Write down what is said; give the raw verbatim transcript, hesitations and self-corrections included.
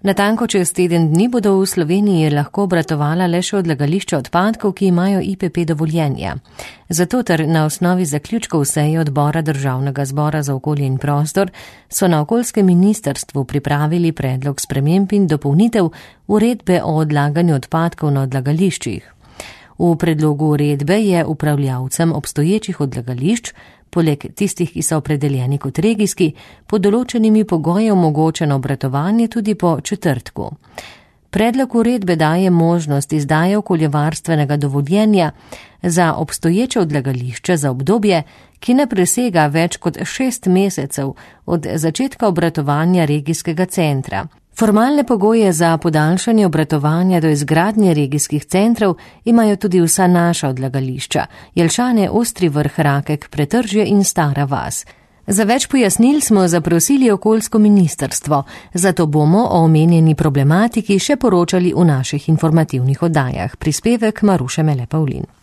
Natanko čez teden dni bodo v Sloveniji lahko obratovala le še odlagališča odpadkov, ki imajo I P P dovoljenja. Zato ter na osnovi zaključkov seje odbora Državnega zbora za okolje in prostor so na okoljskem ministrstvu pripravili predlog sprememb in dopolnitev uredbe o odlaganju odpadkov na odlagališčih. V predlogu uredbe je upravljavcem obstoječih odlagališč, poleg tistih, ki so opredeljeni kot regijski, pod določenimi pogoji omogočeno obratovanje tudi po četrtku. Predlog uredbe daje možnost izdaje okoljevarstvenega dovoljenja za obstoječe odlagališče za obdobje, ki ne presega več kot šest mesecev od začetka obratovanja regijskega centra. Formalne pogoje za podaljšanje obratovanja do izgradnje regijskih centrov imajo tudi vsa naša odlagališča, Jelšane, Ostri Vrh, Rakek, Pretržje in Stara vas. Za več pojasnil smo zaprosili okoljsko ministrstvo, zato bomo o omenjeni problematiki še poročali v naših informativnih oddajah. Prispevek Maruše Mele Pavlin.